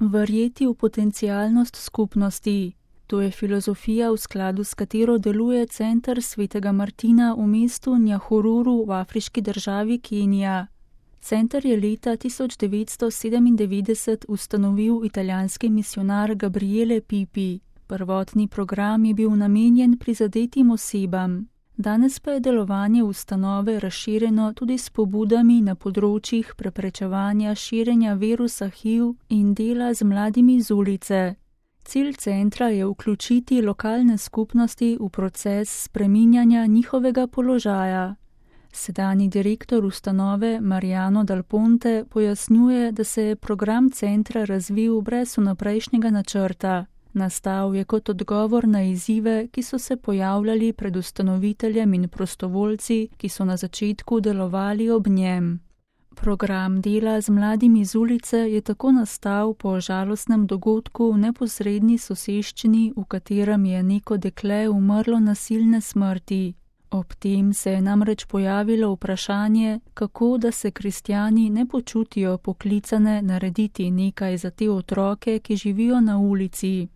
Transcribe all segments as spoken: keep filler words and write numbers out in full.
Verjeti v potencialnost skupnosti. To je filozofija, v skladu s katero deluje Center svetega Martina v mestu Nyahururu v afriški državi Kenija. Center je leta tisoč devetsto sedemindevetdeset ustanovil italijanski misijonar Gabriele Pipi. Prvotni program je bil namenjen prizadetim osebam. Danes pa je delovanje ustanove razširjeno tudi s pobudami na področjih preprečevanja širjenja virusa H I V in dela z mladimi z ulice. Cilj centra je vključiti lokalne skupnosti v proces spreminjanja njihovega položaja. Sedanji direktor ustanove Mariano Dal Ponte pojasnjuje, da se je program centra razvil brez vnaprejšnjega načrta. Nastal je kot odgovor na izzive, ki so se pojavljali pred ustanoviteljem in prostovoljci, ki so na začetku delovali ob njem. Program dela z mladimi z ulice je tako nastal po žalostnem dogodku v neposredni soseščini, v katerem je neko dekle umrlo nasilne smrti. Ob tem se je namreč pojavilo vprašanje, kako da se kristjani ne počutijo poklicane narediti nekaj za te otroke, ki živijo na ulici.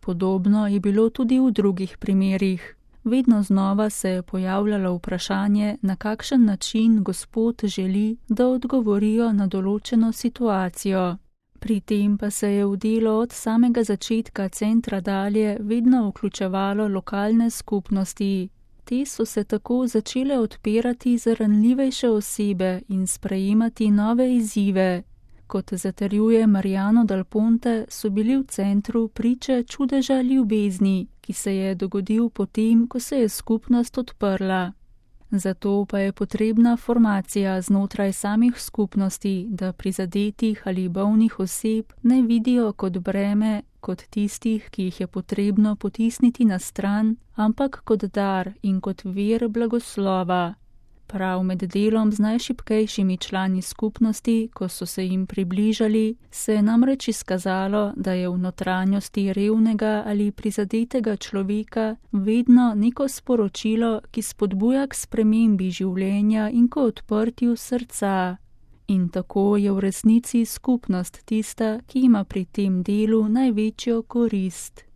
Podobno je bilo tudi v drugih primerih. Vedno znova se je pojavljalo vprašanje, na kakšen način Gospod želi, da odgovorijo na določeno situacijo. Pri tem pa se je v delo od samega začetka centra dalje vedno vključevalo lokalne skupnosti. Te so se tako začele odpirati za ranljivejše osebe in sprejemati nove izzive. Kot zatrjuje Mariano Dal Ponte, so bili v centru priče čudeža ljubezni, ki se je dogodil potem, ko se je skupnost odprla. Zato pa je potrebna formacija znotraj samih skupnosti, da prizadetih ali bolnih oseb ne vidijo kot breme, kot tistih, ki jih je potrebno potisniti na stran, ampak kot dar in kot vir blagoslova. Prav med delom z najšibkejšimi člani skupnosti, ko so se jim približali, se je namreč izkazalo, da je v notranjosti revnega ali prizadetega človeka vedno neko sporočilo, ki spodbuja k spremembi življenja in k odprtju srca. In tako je v resnici skupnost tista, ki ima pri tem delu največjo korist.